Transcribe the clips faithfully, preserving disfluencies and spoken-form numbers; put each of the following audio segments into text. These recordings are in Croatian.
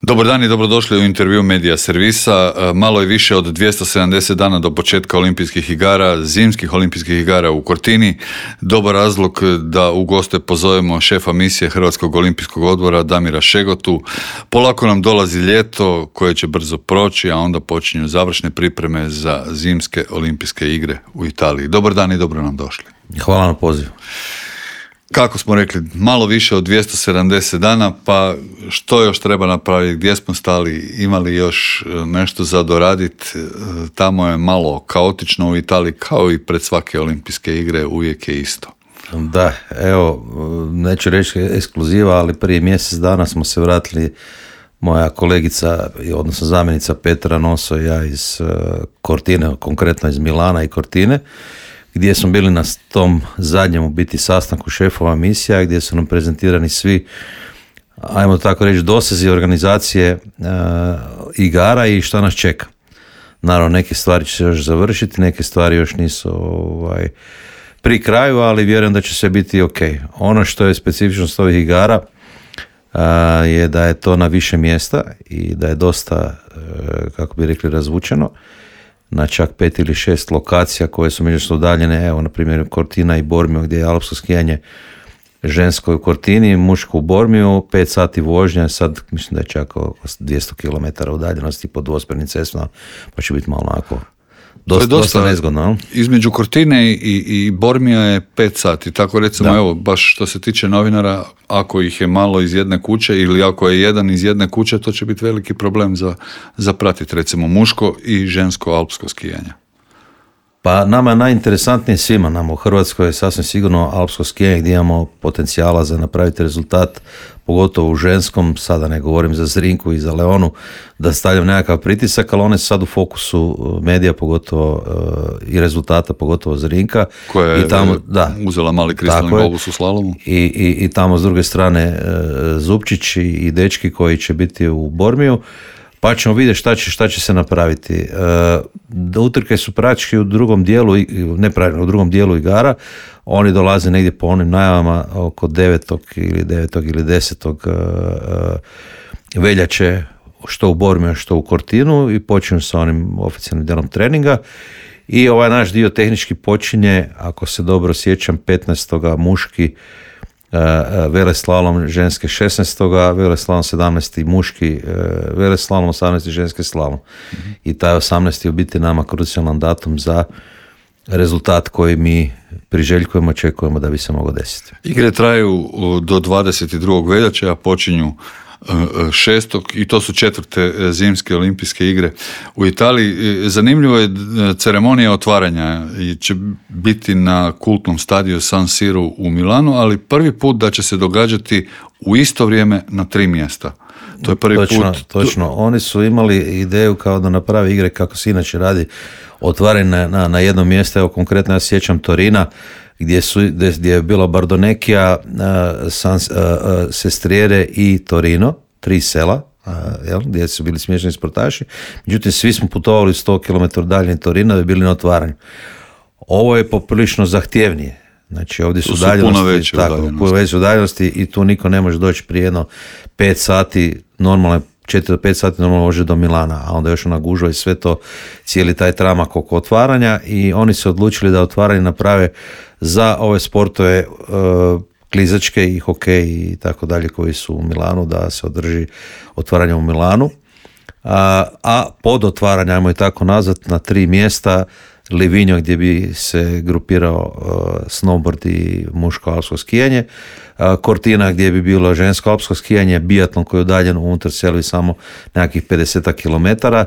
Dobar dan i dobrodošli u intervju Medija servisa. Malo je više od dvjesto sedamdeset dana do početka olimpijskih igara, zimskih olimpijskih igara u Cortini. Dobar razlog da u goste pozovemo šefa misije Hrvatskog olimpijskog odbora Damira Šegotu. Polako nam dolazi ljeto koje će brzo proći, a onda počinju završne pripreme za zimske olimpijske igre u Italiji. Dobar dan i dobro nam došli. Hvala na pozivu. Kako smo rekli, malo više od dvjesto sedamdeset dana, pa što još treba napraviti, gdje smo stali, imali još nešto za doraditi, tamo je malo kaotično u Italiji, kao i pred svake olimpijske igre, uvijek je isto. Da, evo, neću reći ekskluziva, ali prije mjesec dana smo se vratili, moja kolegica, odnosno zamjenica Petra Noso i ja iz Cortine, konkretno iz Milana i Cortine, gdje smo bili na tom zadnjem u biti sastanku šefova misija, gdje su nam prezentirani svi, ajmo tako reći, dosezi organizacije uh, igara i šta nas čeka. Naravno, neke stvari će se još završiti, neke stvari još nisu ovaj, pri kraju, ali vjerujem da će sve biti ok. Ono što je specifičnost ovih igara uh, je da je to na više mjesta i da je dosta, uh, kako bi rekli, razvučeno na čak pet ili šest lokacija koje su međusobno udaljene, evo na primjer Cortina i Bormio gdje je alpsko skijanje žensko u Cortini, muško u Bormiju, pet sati vožnja, sad mislim da je čak oko dvjesto kilometara udaljenosti po dvosmjernim cestama, pa će biti malo onako dosta, dosta, dosta nezgodno. Između Cortine i, i Bormija je pet sati, tako recimo, da. Evo, baš što se tiče novinara, ako ih je malo iz jedne kuće ili ako je jedan iz jedne kuće, to će biti veliki problem za, za pratiti recimo muško i žensko alpsko skijanje. Pa nama je najinteresantnije svima, nama u Hrvatskoj je sasvim sigurno alpsko skijanje gdje imamo potencijala za napraviti rezultat, pogotovo u ženskom, sada ne govorim za Zrinku i za Leonu, da stavljam nekakav pritisak, ali one su sad u fokusu medija, pogotovo uh, i rezultata, pogotovo Zrinka. Koja je i tamo, da, uzela mali kristalni globus u slalomu. I, i, I tamo s druge strane uh, Zupčić i, i dečki koji će biti u Bormiju. Pa ćemo vidjeti šta će, šta će se napraviti. Da utrke su praktički u drugom dijelu, ne pravilno, u drugom dijelu igara, oni dolaze negdje po onim najavama oko devetog ili devetog ili desetog veljače, što u Bormiju, što u Cortinu, i počinju sa onim oficijalnim dijelom treninga. I ovaj naš dio tehnički počinje, ako se dobro sjećam, petnaestoga muški Uh, veleslalom, ženske šesnaestoga veleslalom sedamnaesti muški uh, veleslalom, osamnaesti ženski slalom. Mm-hmm. I taj osamnaesti u biti nama krucijalan datum za rezultat koji mi priželjkujemo, očekujemo da bi se moglo desiti. Igre traju do dvadeset drugog veljače, a počinju šestog i to su četvrte zimske olimpijske igre u Italiji. Zanimljivo je, ceremonija otvaranja će biti na kultnom stadiju San Siro u Milanu, ali prvi put da će se događati u isto vrijeme na tri mjesta. To je prvi točno, put. Točno, oni su imali ideju kao da napravi igre kako se inače radi, otvaranje na, na, na jedno mjesto. Evo konkretno ja sjećam Torina, gdje, su, gdje je bilo Bardonecchia, uh, San, uh, uh, Sestriere i Torino, tri sela, uh, jel, gdje su bili smješani sportaši. Međutim, svi smo putovali sto kilometara dalje Torina da bi bili na otvaranju. Ovo je poprilično zahtjevnije. Znači, ovdje su, su udaljenosti, puno veće tako, udaljenosti. puno veće udaljenosti i tu niko ne može doći prije jedno pet sati, normalno četiri do pet sati normalno može do Milana, a onda još ona gužva i sve to, cijeli taj tramak oko otvaranja, i oni su odlučili da otvaranje naprave za ove sportove uh, klizačke i hokej i tako dalje koji su u Milanu, da se održi otvaranje u Milanu. A, a pod otvaranje, ajmo i tako nazvat, na tri mjesta, Livigno gdje bi se grupirao uh, snowboard i muško alpsko skijanje, uh, Cortina gdje bi bilo žensko alpsko skijanje, biatlon koji je udaljen unutar sela samo nekakvih pedeset kilometara,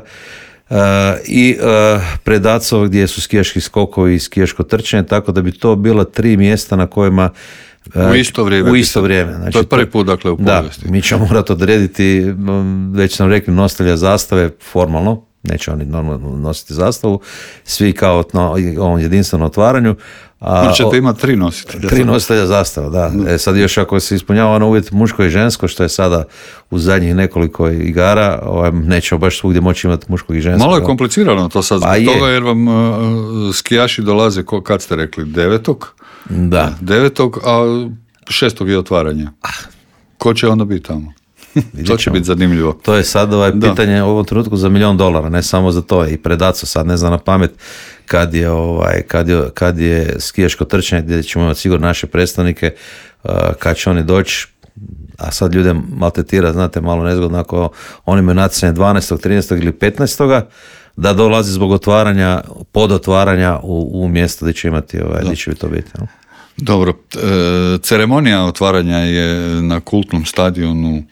uh, i uh, Predacov gdje su skijaški skokovi i skijaško trčanje, tako da bi to bila tri mjesta na kojima uh, u isto vrijeme. U isto vrijeme. Znači, to je prvi put, dakle, u povijesti. Da, mi ćemo morati odrediti, već sam rekli, nositelja zastave formalno, neće oni normalno nositi zastavu, svi kao na ovom jedinstvenom otvaranju. A ćete imati tri nositelja. Tri nositelja zastava, da. Mm. E sad još ako se ispunjava ono uvjet muško i žensko, što je sada u zadnjih nekoliko igara, ovaj, nećemo baš svugdje moći imati muško i žensko. Malo je komplicirano to sad, pa zbog toga jer vam uh, skijaši dolaze, ko, kad ste rekli, devetog? Da. Devetog, a šestog je otvaranje. Ko će onda biti tamo? To će biti zanimljivo. To je sad ovaj pitanje u ovom trenutku za milion dolara, ne samo za to. I Predaco sad ne zna na pamet kad je, ovaj, kad je, kad je skijaško trčanje gdje ćemo imati sigurno naše predstavnike, uh, kad će oni doći, a sad ljude maltetira, znate, malo nezgodno ako oni imaju natjecanje dvanaestog, trinaestog ili petnaestog da dolazi zbog otvaranja, pod otvaranja u, u mjesto gdje će imati, ovaj, gdje će to biti. No? Dobro, e, ceremonija otvaranja je na kultnom stadionu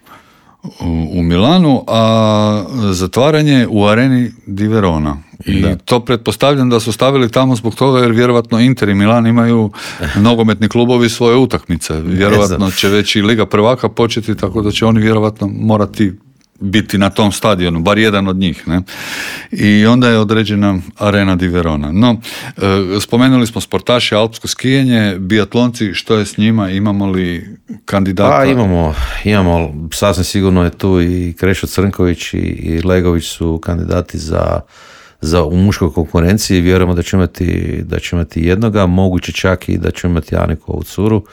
u, u Milanu, a zatvaranje u areni di Verona. I da. To pretpostavljam da su stavili tamo zbog toga jer vjerovatno Inter i Milan imaju nogometni klubovi svoje utakmice. Vjerovatno će već i Liga prvaka početi, tako da će oni vjerovatno morati biti na tom stadionu, bar jedan od njih. Ne? I onda je određena arena di Verona. No, e, spomenuli smo sportaše, alpsko skijanje, biatlonci, što je s njima, imamo li kandidata? Pa imamo, imamo, sasvim sigurno je tu i Krešo Crnković i, i Legović su kandidati za, za u muškoj konkurenciji. Vjerujemo da će imati, da će imati jednoga, moguće čak i da će imati Janikovu curu,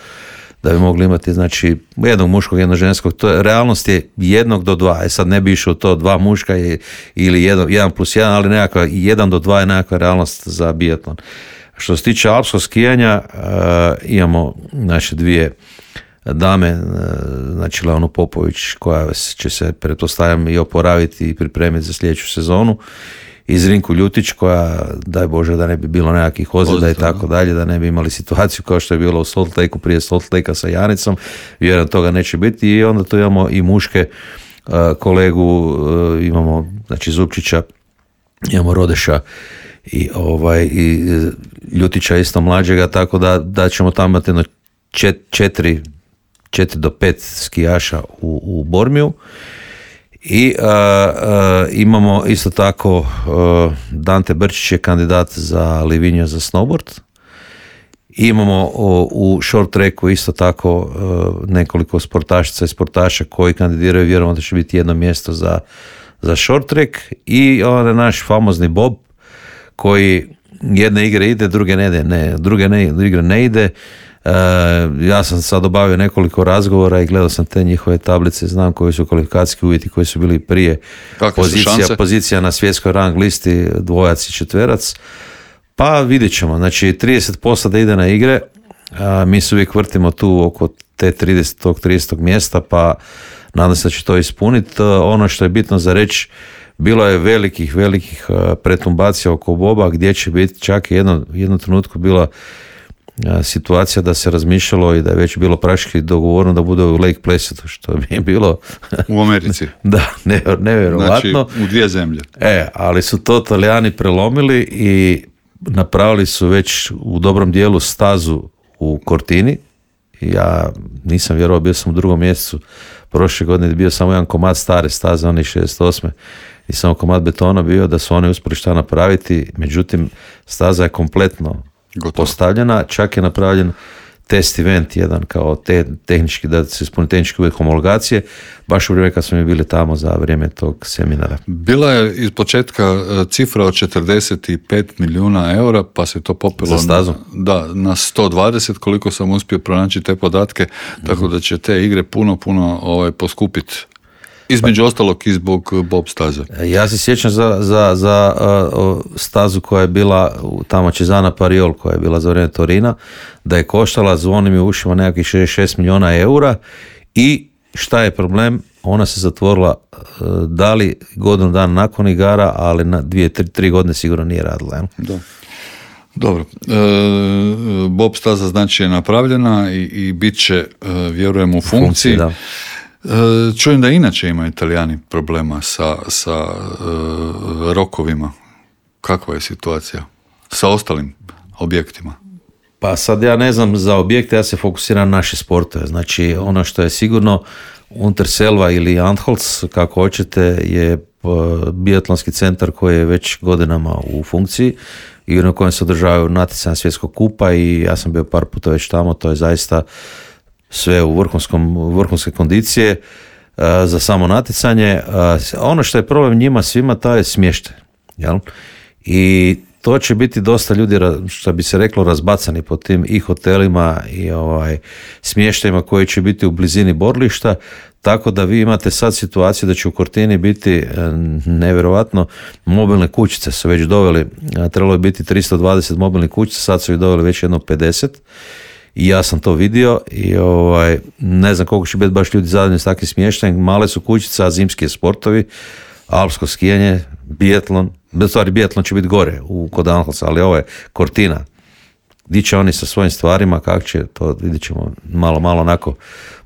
da bi mogli imati, znači, jednog muškog, jednog ženskog. To je, realnost je jednog do dva. E sad ne bi išao to dva muška je, ili jedan, jedan plus jedan, ali nekakva jedan do dva je nekakva realnost za biatlon. Što se tiče alpskog skijanja, uh, imamo naše dvije dame, uh, znači Leonu Popović, koja će se, pretpostavljam, i oporaviti i pripremiti za sljedeću sezonu. I Zrinku Ljutić, koja, daj Bože, da ne bi bilo nekakvih ozljeda i tako dalje, da ne bi imali situaciju kao što je bilo u Salt Lakeu prije Salt Lakea sa Janicom, vjerujem toga neće biti. I onda tu imamo i muške uh, kolegu, uh, imamo, znači, Zupčića, imamo Rodeša i, ovaj, i Ljutića isto mlađega, tako da, da ćemo tamo imati jedno čet, četiri, četiri do pet skijaša u, u Bormiju. I uh, uh, imamo isto tako uh, Dante Brčić je kandidat za Livigno za snowboard. I imamo uh, u short tracku isto tako uh, nekoliko sportašica i sportaša koji kandidiraju, vjerujemo da će biti jedno mjesto za, za short track. I onaj naš famozni Bob koji jedne igre ide, druge ne ide, ne, druge ne, igre ne ide. Uh, ja sam sad obavio nekoliko razgovora i gledao sam te njihove tablice, znam koji su kvalifikacijski uvjeti koji su bili prije. Pozicija, pozicija na svjetskoj rang listi, dvojac i četverac. Pa vidjet ćemo, znači trideset posto da ide na igre, a mi se uvijek vrtimo tu oko te trideset trideset mjesta, pa nadam se da će to ispuniti. Uh, ono što je bitno za reći, bilo je velikih, velikih uh, pretumbacija oko Boba, gdje će biti, čak i jedno, jednu trenutku bila situacija da se razmišljalo i da je već bilo praktički dogovoreno da bude u Lake Placidu, što bi je bilo u Americi. Da, ne, nevjerovatno. Znači, u dvije zemlje. E, ali su to Talijani prelomili i napravili su već u dobrom dijelu stazu u Cortini. Ja nisam vjerovao, bio sam u drugom mjesecu prošle godine, bio samo jedan komad stare staze, onih šezdeset osme i samo komad betona bio, da su oni uspjeli šta napraviti, međutim staza je kompletno gotovo postavljena, čak je napravljen test event jedan kao te, tehnički, da se ispuni tehnički uvjet homologacije, baš u vrijeme kad smo mi bili tamo za vrijeme tog seminara. Bila je iz početka cifra od četrdeset pet milijuna eura, pa se to popilo za stazu? Na, da, na sto dvadeset, koliko sam uspio pronaći te podatke, mm-hmm. tako da će te igre puno, puno ovaj, poskupiti. Između pa, ostalog i zbog bob staze. Ja se sjećam za, za, za uh, stazu koja je bila tamo Cesana Pariol, koja je bila za vrijeme Torina, da je koštala, zvoni mi u ušima, nekakvih šezdeset šest milijuna eura i šta je problem? Ona se zatvorila uh, da li godinu dana nakon igara, ali na dvije, tri, tri godine sigurno nije radila. Ja? Da. Dobro, e, bob staza znači je napravljena i, i bit će, e, vjerujem, u funkciji. funkciji da. Čujem da inače imaju Italijani problema sa, sa uh, rokovima. Kakva je situacija sa ostalim objektima? Pa sad ja ne znam za objekte, ja se fokusiram na naše sportove. Znači ono što je sigurno Unterselva ili Antholz, kako hoćete, je biatlonski centar koji je već godinama u funkciji i na kojem se održavaju natjecanja svjetskog kupa i ja sam bio par puta već tamo, to je zaista sve u vrhunskom, vrhunske kondicije uh, za samo natjecanje. Uh, ono što je problem njima svima, taj je smještaj. Jel? I to će biti dosta ljudi, što bi se reklo, razbacani po tim i hotelima i ovaj, smještajima koji će biti u blizini borilišta, tako da vi imate sad situaciju da će u Cortini biti nevjerojatno, mobilne kućice su već doveli, trebalo je biti tristo dvadeset mobilnih kućica, sad su ih doveli već jedno pedeset. I ja sam to vidio i ovaj, ne znam koliko će biti baš ljudi zadovoljni s takvim smještajem. Male su kućice, a zimski sportovi, alpsko skijanje, biatlon, bez stvari biatlon će biti gore u kod Anhalsa, ali ovo je Cortina. Gdje će oni sa svojim stvarima, kako će, to vidjet ćemo malo, malo onako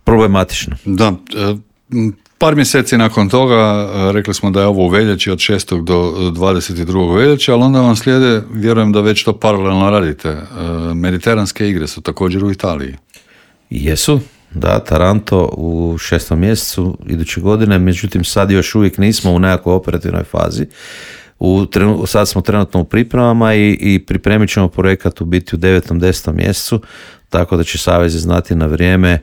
problematično. Da, par mjeseci nakon toga rekli smo da je ovo u veljači od šestog do dvadeset drugog veljače, ali onda vam slijede, vjerujem da već to paralelno radite, mediteranske igre su također u Italiji. Jesu, da, Taranto u šestom mjesecu iduće godine, međutim sad još uvijek nismo u nekakvoj operativnoj fazi. U, sad smo trenutno u pripremama i, i pripremit ćemo projekat u biti u devetom desetom mjesecu, tako da će savezi znati na vrijeme,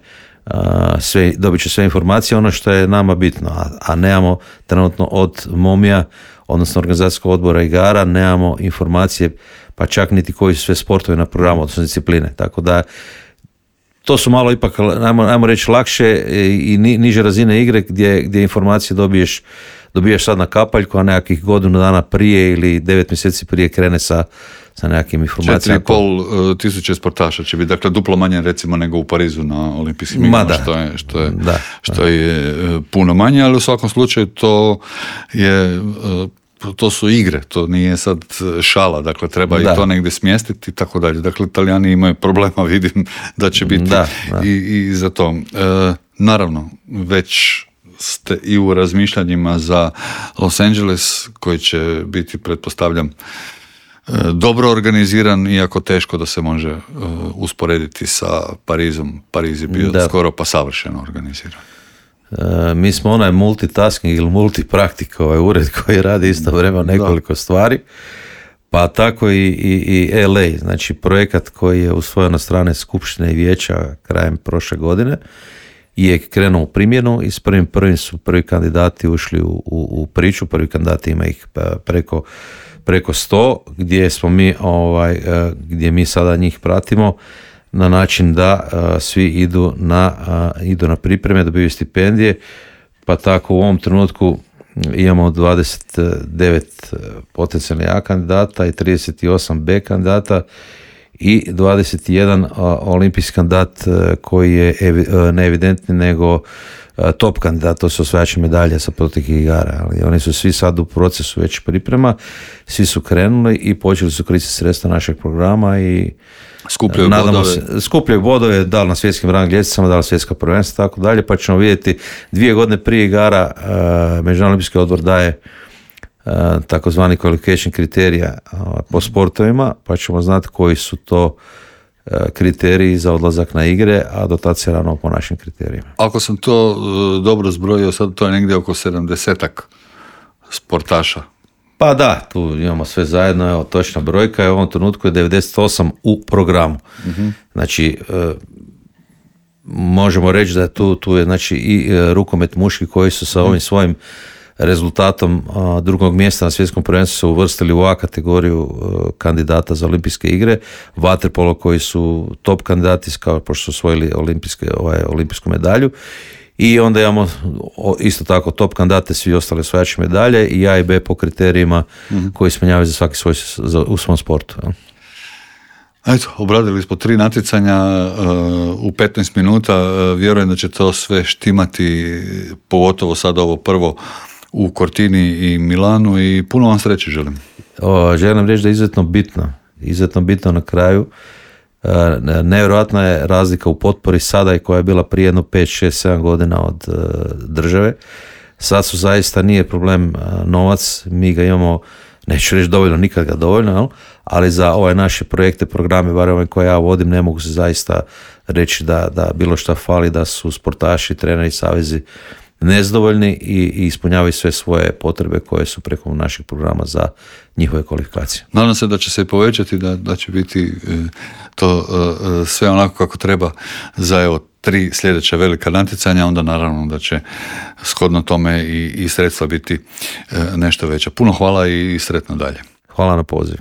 sve, dobit će sve informacije, ono što je nama bitno, a, a nemamo trenutno od momija, odnosno organizacijskog odbora igara, nemamo informacije, pa čak niti koji su sve sportovi na programu, odnosno discipline, tako da to su malo ipak, ajmo, ajmo reći, lakše i ni, niže razine igre gdje, gdje informacije dobiješ, dobiješ sad na kapaljku, a nekakvih godinu dana prije ili devet mjeseci prije krene sa, sa nekakvim informacijama. Četiri i pol tisuće sportaša će biti, dakle duplo manje recimo nego u Parizu na olimpijskim igrama, što je, što je, da, što je puno manje, ali u svakom slučaju to je... to su igre, to nije sad šala, dakle treba da. i to negdje smjestiti i tako dalje. Dakle, Italijani imaju problema, vidim da će biti da, da. I, i za to. E, naravno, već ste i u razmišljanjima za Los Angeles, koji će biti, pretpostavljam, dobro organiziran, iako teško da se može uh, usporediti sa Parizom. Pariz je bio da. skoro pa savršeno organiziran. E, mi smo onaj multitasking ili multipraktik, ovaj ured koji radi isto vremena nekoliko da. stvari, pa tako i, i, i L A, znači projekat koji je usvojen od strane Skupštine i vijeća krajem prošle godine je krenuo u primjenu i s prvim prvim su prvi kandidati ušli u, u, u priču, prvi kandidati ima ih preko, preko sto, gdje smo mi, ovaj, gdje mi sada njih pratimo na način da uh, svi idu na, uh, idu na pripreme, dobiju stipendije, pa tako u ovom trenutku imamo dvadeset devet potencijalnih A kandidata i trideset osam B kandidata i dvadeset jedan uh, olimpijski kandidat uh, koji je evi, uh, ne evidentni nego uh, top kandidat, to su osvajači medalje sa proteklih igara, ali oni su svi sad u procesu već priprema, svi su krenuli i počeli su koristiti sredstva našeg programa i skupljaju Nadamo bodove. Se, skupljaju bodove, da li na svjetskim rang ljestvicama, da li svjetska prvenstva, tako dalje, pa ćemo vidjeti dvije godine prije igara uh, Međunarodni olimpijski odbor daje uh, takozvani qualification kriterija uh, po sportovima, pa ćemo znati koji su to uh, kriteriji za odlazak na igre, a do tad se rano po našim kriterijima. Ako sam to uh, dobro zbrojio, sad to je negdje oko sedamdesetak sportaša. Pa da, tu imamo sve zajedno, evo, točna brojka je u ovom trenutku je devedeset osam u programu. Uh-huh. Znači, e, možemo reći da tu, tu je znači, i e, rukomet muški koji su sa ovim svojim rezultatom a, drugog mjesta na svjetskom prvenstvu se uvrstili u A kategoriju a, kandidata za olimpijske igre, vaterpolo koji su top kandidati kao pošto su osvojili olimpijske, ovaj, olimpijsku medalju. I onda imamo isto tako top kandidate, svi ostali osvajači medalje i A i B po kriterijima mm-hmm. koji ispunjavaju za svaki svoj za, u svom sportu. Ja. Eto, obradili smo tri natjecanja uh, u petnaest minuta, uh, vjerujem da će to sve štimati, pogotovo sad ovo prvo u Cortini i Milanu i puno vam sreće želim. O, želim reći da je izuzetno bitno, izuzetno bitno na kraju. Uh, nevjerojatna je razlika u potpori sada i koja je bila prije jedno pet, šest, sedam godina od uh, države. Sad su zaista nije problem uh, novac, mi ga imamo, neću reći dovoljno, nikad ga dovoljno, jel? Ali za ove naše projekte, programe, bar ove koje ja vodim, ne mogu se zaista reći da, da bilo šta fali, da su sportaši, treneri, savezi nezadovoljni i, i ispunjavaju sve svoje potrebe koje su preko naših programa za njihove kvalifikacije. Nadam se da će se povećati, da, da će biti e, to e, sve onako kako treba za evo tri sljedeća velika natjecanja, onda naravno da će shodno tome i, i sredstva biti e, nešto veća. Puno hvala i sretno dalje. Hvala na poziv.